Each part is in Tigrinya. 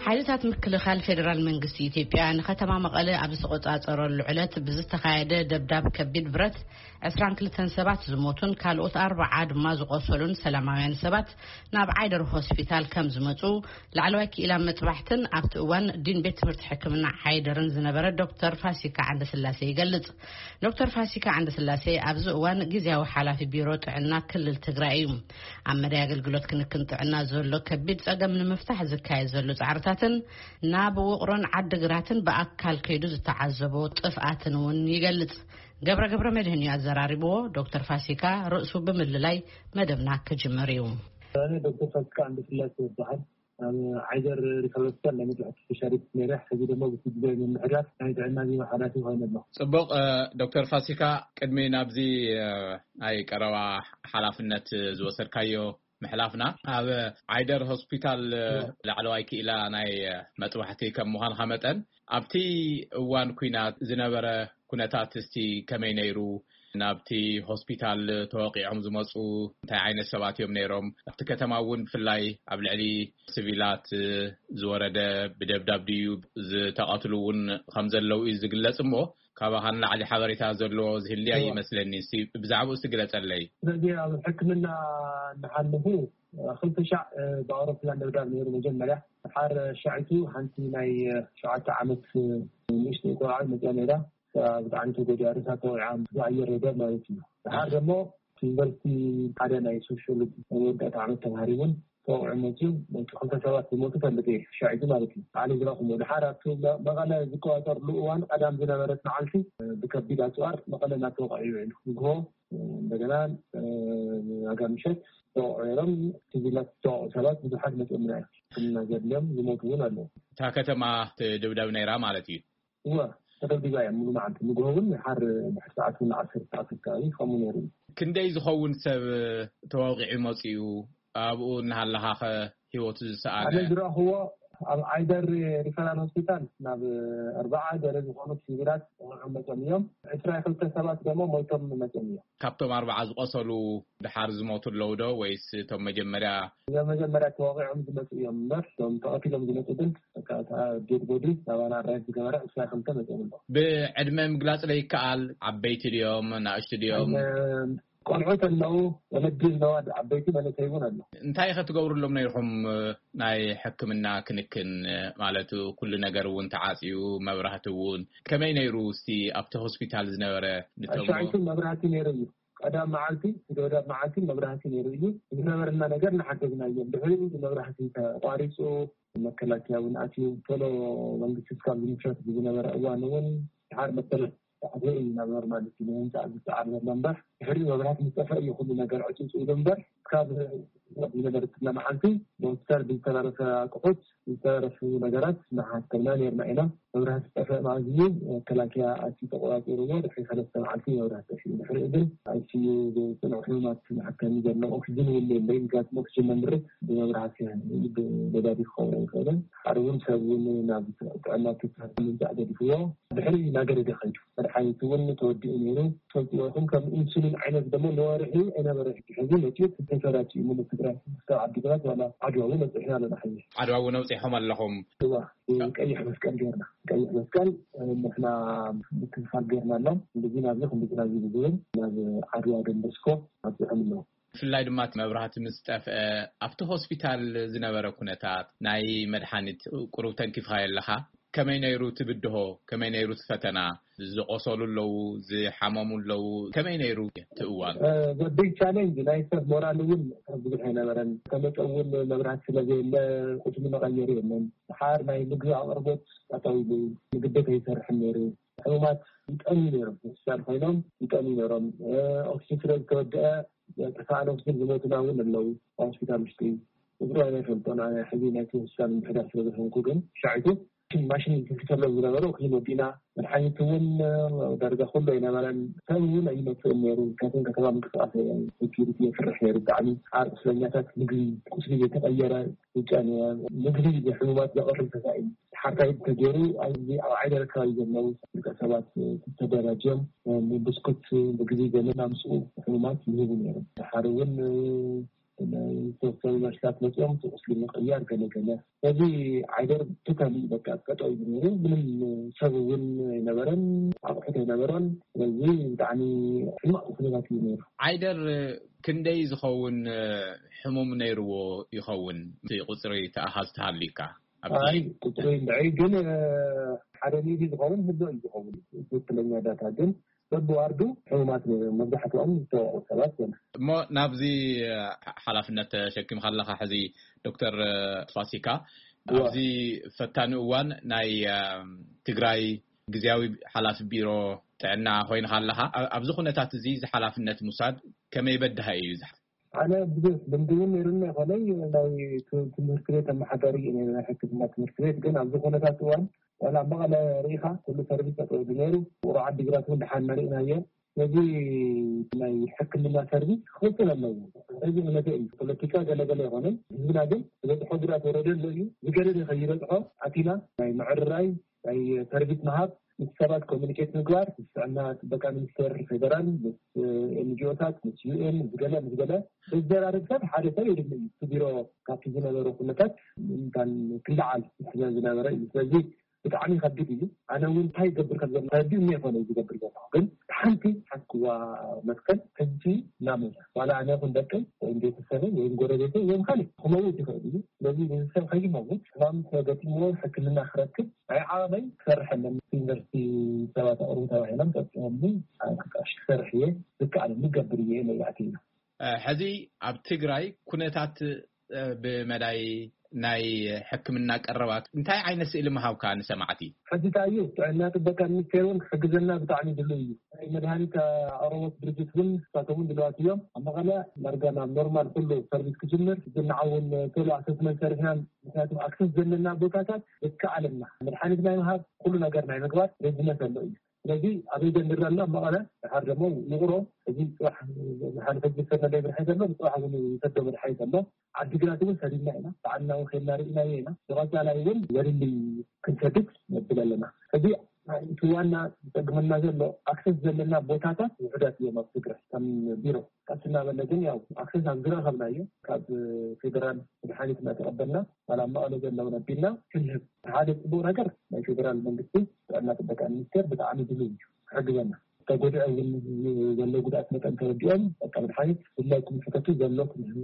ሓይልታት ምክልኻል ፌደራል መንግስቲ ኢትዮጵያ ንከተማ መቐለ ኣብ ዝተቆጻጸረሉ ዕለት ብዝተኻየደ ደብዳብ ከቢድ ብረት ዕስራን ክልተን ሰባት ዝሞቱን ካልኦት ኣርባዓ ድማ ዝቆሰሉን ሰላማውያን ሰባት ናብ ዓይደር ሆስፒታል ከም ዝመጹ ላዕለዋይ ክኢላ መጥባሕትን ኣብቲ እዋን ዲን ቤት ትምህርቲ ሕክምና ዓይደርን ዝነበረ ዶክተር ፋሲካ ዓንደስላሴ ይገልጽ። ዶክተር ፋሲካ ዓንደስላሴ ኣብዚ እዋን ግዝያዊ ሓላፊ ቢሮ ጥዕና ክልል ትግራይ እዩ። ኣብ መዳይ ኣገልግሎት ክንክን ጥዕና ዘሎ ከቢድ ጸገም ንምፍታሕ ዝካየድ ዘሎ ጻዕርታትን ናብ ውቕሮን ዓድግራትን ብኣካል ከይዱ ዝተዓዘቦ ጥፍኣትን እውን ይገልጽ። ገብረ ገብረ መድህን እዩ ኣዘራሪብዎ። ዶክተር ፋሲካ ርእሱ ብምልላይ መደብና ክጅምር እዩ። ኣነ ዶክተር ፋሲካ ዓንደስላሴ ይበሃል። ኣብ ዓይደር ሪፈራል ሆስፒታል ናይ መጥባሕቲ ስፔሻሊስት ነይረ። ሕዚ ደግሞ ብቲ ግዜ ምምሕዳር ናይ ጥዕና ቢሮ ሓላፊ ኮይነ ኣለኹ። ጽቡቕ። እ፣ ዶክተር ፋሲካ፣ ቅድሚ ናብዚ፣ እ፣ ናይ ቀረባ ሓላፍነት ዝወሰድካዮ ምሕላፍና፣ ኣብ ዓይደር ሆስፒታል፣ እ፣ እዎ። ላዕለዋይ ክኢላ ናይ፣ እ፣ መጥባሕቲ ከም ምዃንካ መጠን፣ ኣብቲ እዋን ኲናት ዝነበረ ኩነታት እስቲ ከመይ ነይሩ? ናብቲ ሆስፒታል ተወቂዖም ዝመጹ እንታይ ዓይነት ሰባት እዮም ነይሮም? ኣብቲ ከተማ እውን ብፍላይ ኣብ ልዕሊ ሲቪላት ዝወረደ ብደብዳብ ድዩ ዝተቐትሉ እውን ከም ዘለዉ እዩ ዝግለጽ እሞ፣ ካባኻ ንላዕሊ ሓበሬታ ዘሎ ዝህልያ እዎ። ይመስለኒ። እስቲ ብዛዕባኡ እስቲ ግለጸለይ። ስለዚ ኣብ ሕክምና እናሓለፉ ክልተ ሻዕ ብኣውሮፕላን ደብዳብ ነይሩ። መጀመርያ ሓር ሻዕቱ ሓንቲ ናይ ሸውዓተ ዓመት ንእሽተይ ቆልዓ መፅያ ነይራ። ብጣዕሚ ተጎዲኣ፣ ርእሳ ተወቂዓ፣ ብኣየር ደብዳብ ማለት እዩ። ድሓር ደሞ እቲ ዩኒቨርሲቲ ሓደ ናይ ሶሽዮሎጂ መወዳእታ ዓመት ተምሃሪ እውን ተወቂዑ መፅዩ፣ እቲ ክልተ ሰባት ዝሞቱ ፈልጥ እየ፣ ሻዒቱ ማለት እዩ። ባዕለይ ዝረእኹሞ። ድሓር ኣብቲ መ-፣ መቐለ ዝቆፃፀርሉ እዋን ቀዳም ዝነበረት መዓልቲ ብከቢድ ኣፅዋር መቐለ እናተወቕዐ እዩ ውዒሉ። ንግሆ እንደገና ዋጋ ምሸት ተወቕዑ ነይሮም። ሲቪላት ዝተወቕዑ ሰባት ብዙሓት መፅኦምና እዮም። ሕክምና ዘድልዮም ዝሞቱ እውን ኣለዉ። እታ ከተማ ትድብደብ ነይራ ማለት እዩ? እወ፣ ተደብዲባ እያ ሙሉ መዓልቲ። ንግሆ እውን ሓር ድሕሪ ሰዓት እውን ዓሰርተ ሰዓት ኣካባቢ ከምኡ ነይሩ እዩ። ክንደይ ዝኸውን ሰብ ተወቂዑ መፂኡ? ኣብኡ እናሃለኻኸ ህይወቱ ዝሰኣነ? ኣነ ዝረእኽዎ ኣብ ዓይደር ሪፈራል ሆስፒታል ናብ ኣርባዓ ገለ ዝኾኑ ሲቪላት ተወቂዖም መፅኦም እዮም። ዕስራ ክልተ ሰባት ደሞ ሞይቶም መፅኦም እዮም። ካብቶም ኣርባዓ ዝቆሰሉ ድሓር ዝሞቱ ኣለዉ ዶ? ወይስ እቶም መጀመርያ እዞም መጀመርያ ተወቂዖም ዝመፁ እዮም እምበር፣ እቶም ተቐቲሎም ዝመፁ ግን በቃ፣ እታ ዴድ ቦዲ ናባና ኣራይት ዝገበረ ዕስራ ክልተ መፅኦም ኣለዉ። ብዕድመ ምግላፅ ለይከኣል፣ ዓበይቲ ድዮም፣ ናእሽቱ ድዮም? ዕድመ ቆልዑት ኣለዉ፣ ወለዲ ኣለዉ፣ ዓበይቲ መንእሰይ እውን ኣሎ። እንታይ ኢኸ ትገብሩሎም ነይርኹም? ናይ ሕክምና ክንክን ማለት ኩሉ ነገር እውን ተዓፅዩ፣ መብራህቲ እውን። ከመይ ነይሩ እስቲ ኣብቲ ሆስፒታል ዝነበረ ንተሞ? ሻይቱ መብራህቲ ነይሩ እዩ። ቀዳም መዓልቲ፣ እቲ ደብዳብ መዓልቲ መብራህቲ ነይሩ እዩ። ዝነበረና ነገር እናሓገዝና እዮም። ድሕሪኡ መብራህቲ ተቋሪፁ፣ መከላከያ እውን ኣትዩ። ቶሎ መንግስቲ እስካብ ዝምስረት ብዝነበረ እዋን እውን ድሓር መበለት ተዓዘ እዩ ናብ ኖርማል እቲ ንህንፃ ዝፀዓር ዘሎ እምበር፣ ድሕሪኡ መብራህቲ ምስ ጠፍአ እዩ ኩሉ ነገር ዕፅውፅው ኢሉ እምበር፣ እስካብ ዝነበረት መዓልቲ ብሆስፒታል ብዝተረፈ ኣቅሑት ዝተረፉ ነገራት እናሓከምና ነይርና ኢና። መብራህቲ ዝጠፍአ መዓዝ እዩ መከላከያ ኣትዩ ተቆፃፂርዎ፣ ድሕሪ ሰለስተ መዓልቲ መብራህቲ ጠፊኡ። ድሕሪኡ ግን ኣይ ሲ ዩ ዝፅንዑ ሕሙማት ዝሓከም ዘሎ ኦክሲጅን እውን የለይ። ምክንያቱም ኦክሲጅን መምርት ብመብራህቲ ብነዳዲ ክኸውን ኣይኽእልን። ሓደ እውን ሰብ እውን ናብ ጥዕና ትካል ምምፃእ ገዲፍዎ ድሕሪ እናገደደ ከይዱ። መድሓኒት እውን ተወዲኡ ነይሩ። ፈልጥዎ ይኹን ከም ኢንሱሊን ዓይነት ደሞ ንወርሒ ኣይነበረ። ሕጂ መፅኡ ተሰራጭ እዩ ሙሉ ትግራይ። ክሳብ ዓዲግራት ዋላ ዓድዋ እውን ኣብፂሕና ኣለና። ሕጂ ዓድዋ እውን ኣብፂሖም ኣለኹም? እዋ፣ ቀይሕ መስቀል ጌርና። ቀይሕ መስቀል፣ እ፣ ንሕና ምክልኻል ጌርና ኣሎም። እንደዚ ናብዚ፣ ክንድዚ ናብዚ ብዝብል ናብ ዓድዋ ደንበስኮ ኣብፂሖም ኣለዉ። ብፍላይ ድማ እቲ መብራህቲ ምስ ጠፍአ፣ ኣብቲ ሆስፒታል ዝነበረ ኩነታት፣ ናይ መድሓኒት ቁሩብ ተንኪፍካዮ ኣለኻ? ከመይ ነይሩ እቲ ብድሆ? ከመይ ነይሩ እቲ ፈተና? ዝቆሰሉ ኣለዉ፣ ዝሓመሙ ኣለዉ። ከመይ ነይሩ እቲ እዋን? እ፣ the big challenge ናይ ሰብ ሞራል እውን ብዙሕ ኣይነበረን። ተመጠ እውን መብራህቲ ስለ ዘየለ ቁስሊ መቐየሪ የለን። ድሓር ናይ ምግቢ ኣቕርቦት ጠጠው ኢሉ፣ ምግቢ ከይሰርሕን ነይሩ። ሕሙማት ይጠምዩ ነይሮም፣ ሆስፒታል ኮይኖም ይጠምዩ ነይሮም። እ፣ ኦክሲጅን ስለ ዝተወደአ፣ ጥፋኣን ኦክሲጅን ዝሞቱና እውን ኣለዉ ኣብ ሆስፒታል ውሽጢ። ቁፅሩ ኣይፈልጦን ኣነ ሕዚ ናይቲ ሆስፒታል ምምሕዳር ስለ ዝኾንኩ። ግን ሻዒቱ ማሽን ዝትንክፈሎም ዝነበረ ኦክሲጅን ወዲእና፣ መድሓኒት እውን ዳርጋ ኩሉ ኣይነበረን። ሰብ እውን ኣይመፅእን ነይሩ። ምክንያቱም ከተማ ምንቅስቃስ ሴኪሪቲ የፍርሕ ነይሩ ብጣዕሚ። ዓር ቁስለኛታት ምግቢ፣ ቁስሊ ዘይተቐየረ፣ ውጫን ምግቢ ንሕሙማት ዘቕርብ ተሳኢሉ። ሓካይም ተገይሩ ኣብዚ ኣብ ዓይደር ኣካባቢ ዘለዉ ውልቀ ሰባት ተደራጅዮም ብስኩት፣ ምግቢ ገለ እናምፅኡ ሕሙማት ይህቡ ነይሮም። ድሓር እውን ዝተወሰኑ ነርሳት መፅኦም እቲ ቁስሊ ምቕያር ገለ ገለ። ስለዚ ዓይደር ቶታሊ በቃ ጠጠው ኢሉ ነይሩ። ምንም ሰብ እውን ኣይነበረን፣ ኣቑሑት ኣይነበሮን። ስለዚ ብጣዕሚ ሕማቕ ኩነታት እዩ ነይሩ። ዓይደር ክንደይ ዝኸውን ሕሙም ነይርዎ ይኸውን? እቲ ቁፅሪ ተኣሃዝ ተሃልዩካ ኣብቲ ኣይ ቁፅሪ እንድዒ ግን ሓደ ሚእቲ ዝኸውን ህዶ እዩ ዝኸውን ትክክለኛ ዳታ። ግን በብዋርዱ ሕሙማት ነይሮም፣ መብዛሕትኦም ዝተወቑ ሰባት እዮም። እሞ ናብዚ ሓላፍነት ተሸኪምካ ኣለካ ሕዚ ዶክተር ፋሲካ፣ ኣብዚ ፈታኒ እዋን ናይ ትግራይ ግዝያዊ ሓላፊ ቢሮ ጥዕና ኮይንካ ኣለካ። ኣብዚ ኩነታት እዚ እዚ ሓላፍነት ምውሳድ ከመይ በድሃ እዩ? ኣነ ብዙሕ ልምዲ እውን ነይሩኒ ኣይኮነይ፣ ናይ ትምህርቲ ቤት ኣመሓዳሪ ናይ ሕክምና ትምህርቲ ቤት። ግን ኣብዚ ኩነታት እዋን ዋላ መቐለ ርኢኻ ኩሉ ሰርቪስ ጠጠው ነይሩ። ውቕሮ ዓዲግራት እውን ደሓን መሪእናዮ። ስለዚ ናይ ሕክምና ሰርቪስ ክቕፅል ኣለዎ። እዚ እምነተ እዩ። ፖለቲካ ገለገለ ይኮነን፣ ህዝብና ግን ዝበፅሖ ጉድኣት ወረደ ኣሎ እዩ። ዝገደደ ከይበፅሖ ኣቲና ናይ ምዕርራይ ናይ ሰርቪስ ምሃብ፣ ምስ ሰባት ኮሚኒኬት ምግባር፣ ምስ ጥዕና ጥበቃ ሚኒስቴር ፌደራል፣ ምስ ኤንጂኦታት፣ ምስ ዩኤን፣ ምስ ገለ ምስ ገለ ዘዘራርብ ሰብ ሓደ ሰብ የድሊ እዩ። እቲ ቢሮ ካብቲ ዝነበረ ኩነታት ምእንታን ክለዓል ስለ ዝነበረ እዩ። ስለዚ ብጣዕሚ ከቢድ እዩ። ኣነ እውን እንታይ ይገብር ከም ዘሎ ተረዲኡ እየ ኮነ ዝገብር ዘለኹ። ግን ሓንቲ ሓክዋ መትከል ሕጂ እናመዛ ዋላ ኣነ ይኹን ደቀይ ወይም ቤተሰበይ ወይም ጎረቤተይ ወይም ካልእ ክመውት ይኽእል እዩ። ስለዚ ንሰብ ከይመውት ሕማም ተገጢምዎ ሕክምና ክረክብ ናይ ዓቐመይ ክሰርሕ ኣለኒ። ዩኒቨርሲቲ ሰባት ኣቕርቡ ተባሂሎም ጠጥኦምኒ ክሰርሕ እየ፣ ዝከኣለኒ ገብር እየ ኢለ ይኣትዩ። ሕዚ ኣብ ትግራይ ኩነታት ብመዳይ ናይ ሕክምና ቀረባት እንታይ ዓይነት ስእሊ ምሃብካ ንሰማዕቲ? ሕዚ እንታይ እዩ ጥዕና ጥበቃ ሚኒስቴር እውን ክሕግዘና ብጣዕሚ ድሉ እዩ። ናይ መድሃኒት ኣቕርቦት ድርጅት እውን ንሳቶም እውን ድልዋት እዮም። ኣብ መቐለ ዳርጋ ናብ ኖርማል ኩሉ ሰርቪስ ክጅምር ዝንዓውን ቶሎ ኣሰስመንት ሰሪሕና፣ ምክንያቱ ኣክሰስ ዘለና ቦታታት ዝከኣለና መድሓኒት ናይ ምሃብ ኩሉ ነገር ናይ ምግባር ሬድነት ዘሎ እዩ። ስለዚ ኣበይ ጀምር ኣሎ መቐለ ድሓር ደግሞ ውቕሮ እዚ ፅባሕ ዝሓለፈ ዝሰመለ መድሓኒት ኣሎ፣ ብፅባሕ እውን ይሰዶ መድሓኒት ኣሎ። ዓዲግራት እውን ሰዲድና ኢና፣ ብዓይንና እውን ከይድና ርኢናዮ ኢና። ብቐፃላይ እውን ዘድሊ ክንሰድድ ነብል ኣለና። እዚ እቲ ዋና ዝፀግመና ዘሎ ኣክሰስ ዘለና ቦታታት ውሕዳት እዮም ኣብ ትግራይ ከም ቢሮ። ቀስ እናበለ ግን ያው ኣክሰስ ኣብ ዝረኸብናዮ ካብ ፌደራል መድሓኒት እናተቐበልና ዋላ መቐለ ዘለውን ኣቢልና ክንህብ ሓደ ፅቡቅ ነገር ናይ ፌደራል መንግስቲ ጥዕና ጥበቃ ሚኒስቴር ብጣዕሚ ድሉው እዩ ክሕግዘና። ተጎድዐ እውን ዘሎ ጉድኣት መጠን ተረዲኦም በቃ መድሓኒት ብፍላይ ክምሕተቱ ዘሎ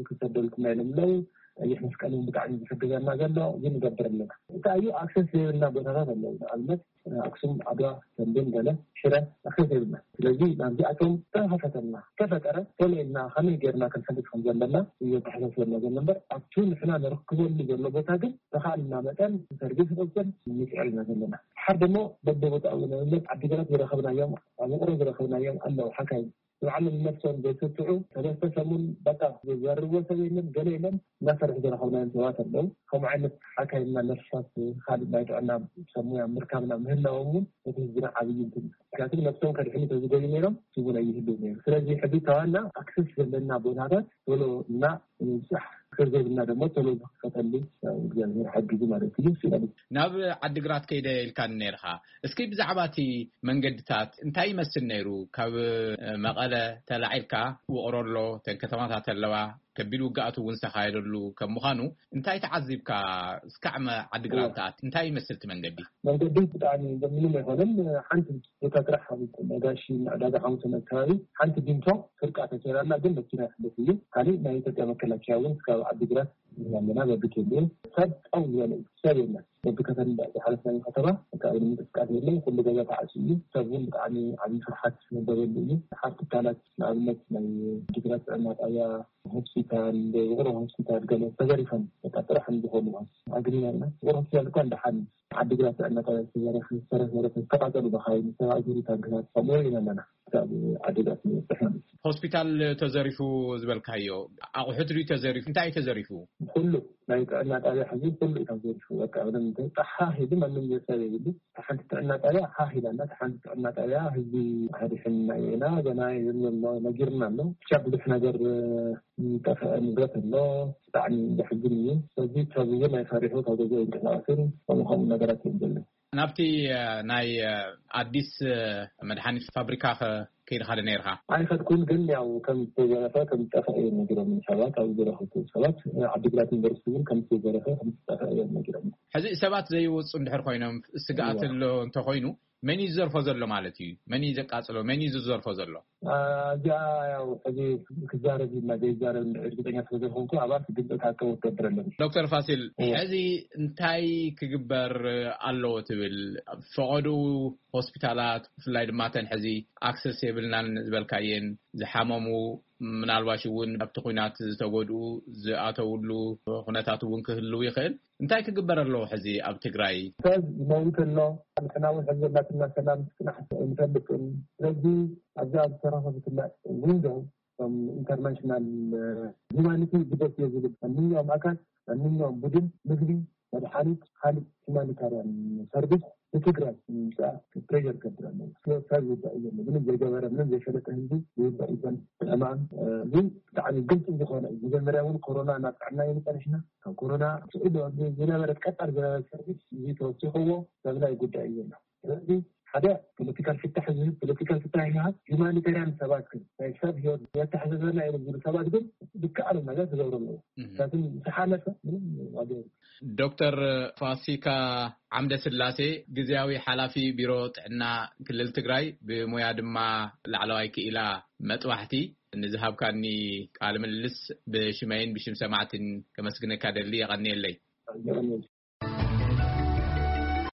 ክንሰደልኩም ናይ ለምለው ቀይሕ መስቀል እውን ብጣዕሚ ዝሕግዘና ዘሎ እዚ ንገብር ኣለና። እንታይ እዩ ኣክሰስ ዘይብልና ቦታታት ኣለዉ። ንኣብነት ኣክሱም፣ ዓድዋ፣ ተምቤን፣ ገለ ሽረ ኣክሰስ የብልና። ስለዚ ናብዚኣቶም ተኸፈተልና ተፈጠረ ቶሎ ኢልና ከመይ ጌርና ክንሕግዝ ከም ዘለና እዩ ኣተሓሳስበና ዘሎ እምበር ኣብቲ ንሕና ንርክበሉ ዘሎ ቦታ ግን ተኻልና መጠን ሰርቪስ ክቕፅል ንፅዕር ኢና ዘለና። ሓር ደሞ በበቦታኡ ንኣብነት ዓዲግራት ዝረኸብናዮም ኣብ ውቕሮ ዝረኸብናዮም ኣለዉ ሓካይ ንባዕሎም ነፍሶም ዘይስስዑ ሰለስተ ሰሙን በቃ ዘርቦ ሰብ የለን ገለ የለን እናሰርሑ ዝረኸብናዮም ሰባት ኣለዉ። ከምኡ ዓይነት ሓካይና ነርሳት ካልእ ናይ ጥዕና ሰብ ሙያ ምርካብና ምህላዎም እውን እቲ ህዝብና ዓብዪ እንትን ምክንያቱ ነፍሶም ከድሕኑ ተዝገዩ ነይሮም ስቡን ኣይህልው ነይሩ። ስለዚ ሕዚ ተዋና ኣክሰስ ዘለና ቦታታት ቶሎ እና ንምብፃሕ ክዘብና ደግሞ ቶሎ ዝክፈተሉ እግዚኣብሔር ሓጊዙ ማለት እዩ። ስለዚ ናብ ዓዲግራት ከይደ ኢልካኒ ነይርካ። እስኪ ብዛዕባ እቲ መንገድታት እንታይ ይመስል ነይሩ? ካብ መቐለ ተላዒልካ ውቕሮ ኣሎ፣ ተን ከተማታት ኣለዋ፣ ከቢድ ውግኣት እውን ዝተኻየደሉ ከም ምዃኑ እንታይ ተዓዚብካ? እስካዕ ዓዲግራት ትኣት እንታይ ይመስል እቲ መንገዲ? መንገዲ ብጣዕሚ ምንም ኣይኮነን። ሓንቲ ቦታ ጥራሕ ነጋሽ ዕዳጋ ሓሙሰን ኣካባቢ ሓንቲ ቢንቶ ፍርቃ ተሰይራና ግን መኪና ይሕልፍ እዩ። ካሊእ ናይ ኢትዮጵያ መከላከያ እውን እስካብ ዓዲግራት ኣለና በብኬንድኡ ሰብ ጠው ዝበለ እዩ። ሰብ የለን። በብከተማ ዝሓለፍናዮ ከተማ በቃ ምንም እንቅስቃሴ የለን። ኩሉ ገዛ ተዓፅዩ እዩ። ሰብ እውን ብጣዕሚ ዓብዪ ፍርሓት ዝነበረሉ እዩ። ሓር ትካላት ንኣብነት ናይ ዓዲግራት ጥዕና ጣብያ፣ ሆስፒታል፣ ውቕሮ ሆስፒታል ገለ ተዘሪፈን በቃ ጥራሕ ዝኾኑ ኣግሪና ኢና። ውቕሮ ሆስፒታል እኳ እንደሓን ዓዲግራት ጥዕና ጣብያ ዝተዘረፈ ዝተረፈ ዝተቃፀሉ መኻይን ዝተባእሰሩ ታንክታት ከምኡ ኢና ኣለና። ካብ ዓዲግራት ንበፅሕ ማለት እዩ። ሆስፒታል ተዘሪፉ ዝበልካዮ ኣቑሑት ድዩ ተዘሪፉ? እንታይ እዩ ተዘሪፉ? ኩሉ ናይ ጥዕና ጣብያ ሕዚ ኩሉ እዩ ተዘሪፉ። በቃ ምንም ሓ ኢሉ ማንም ሰብ የብሉ። ሓንቲ ጥዕና ጣብያ ሓ ኢላና ሓንቲ ጥዕና ጣብያ ህዝቢ ኣድሕንና ኢና ገና ነጊርና ኣሎ። ብቻ ብዙሕ ነገር ዝጠፍአ ንብረት ኣሎ። ብጣዕሚ ዘሕዝን እዩ። ስለዚ ሰብ እውን ኣይፈሪሑ ካብ ገዛ ይንቀሳቀስን ከምኡ ከምኡ ነገራት እዮም ዘለዉ። ናብቲ ናይ ኣዲስ መድሓኒት ፋብሪካ ከ ከይድኻ ዶ ነይርካ? ኣይኸድኩን፣ ግን ያው ከም ዝተዘረፈ ከም ዝጠፍአ እዮም ነጊሮም ሰባት፣ ኣብ ዝረኸብኩ ሰባት። ዓዲግራት ዩኒቨርሲቲ እውን ከም ዝተዘረፈ ከም ዝጠፍአ እዮም ነጊሮም። ሕዚ ሰባት ዘይወፁ እንድሕር ኮይኖም፣ ስግኣት ኣሎ እንተኮይኑ፣ መን እዩ ዝዘርፎ ዘሎ ማለት እዩ? መን እዩ ዘቃፅሎ? መን እዩ ዝዘርፎ ዘሎ? እዚኣ ያው ሕዚ ክዛረብ ኢልና ዘይዛረብ እርግጠኛ ስለዘይኮንኩ፣ ኣባል ግልፂ ክኣከቦ ክገብር ኣለኒ። ዶክተር ፋሲል፣ ሕዚ እንታይ ክግበር ኣለዎ ትብል? ፈቐዱ ሆስፒታላት፣ ብፍላይ ድማ እተን ሕዚ ኣክሰስ የብልናን ዝበልካየን፣ ዝሓመሙ፣ ምናልባሽ እውን ኣብቲ ኲናት ዝተጎድኡ ዝኣተውሉ ኩነታት እውን ክህልው ይኽእል። እንታይ ክግበር ኣለዎ ሕዚ ኣብ ትግራይ? ሰብ ይመውት ኣሎ። ንሕና እውን ሕዚ ዘላትና ሰላም ክፅናሕ እንፈልጥን። ስለዚ ኣብዛ ዝተረኸበትና ዊንዶ፣ እቶም ኢንተርናሽናል ሂማኒቲ ግደፍ እየ ዝብል ማንኛውም ኣካል፣ ማንኛውም ቡድን ምግቢ፣ መድሓኒት፣ ካልእ ሂማኒታርያን ሰርቪስ ንትግራይ ንምምፃእ ፕሬር ክገብር ኣለዎ። ሰብ ይውዳእ እዩ ዘሎ። ምንም ዘይገበረ፣ ምንም ዘይፈለጠ ህዝቢ ይውዳእ እዩ ዘሎ። ሕማም ግን ብጣዕሚ ግልፂ ዝኾነ እዩ። መጀመርያ እውን ኮሮና ናብ ጥዕና እዩ ንፀኒሕና። ካብ ኮሮና ስዒቡ ዝነበረ ቀፃል ዝነበረ ሰርቪስ እዚ ተወሲኽዎ ሰብ ናይ ጉዳይ እዩ ዘሎ። ስለዚ ሓደ ፖለቲካል ፍታሕ ዝህብ ፖለቲካል ፍታሕ ይሃብ፣ ሂማኒታርያን ሰባት ግን ናይ ሰብ ህይወት ዘተሓዘዘና እዮም ዝብሉ ሰባት ግን ዝከኣሉ ነገር ክገብሩ ኣለዎ። ምክንያቱም ዝሓለፈ ምንም ዋጋ የብሉን። ዶክተር ፋሲካ ዓምደ ስላሴ፣ ግዝያዊ ሓላፊ ቢሮ ጥዕና ክልል ትግራይ፣ ብሞያ ድማ ላዕለዋይ ክኢላ መጥባሕቲ፣ ንዝሃብካኒ ቃለ ምልልስ ብሽመይን ብሽም ሰማዕትን ከመስግነካ ደሊ። የቐንየለይ።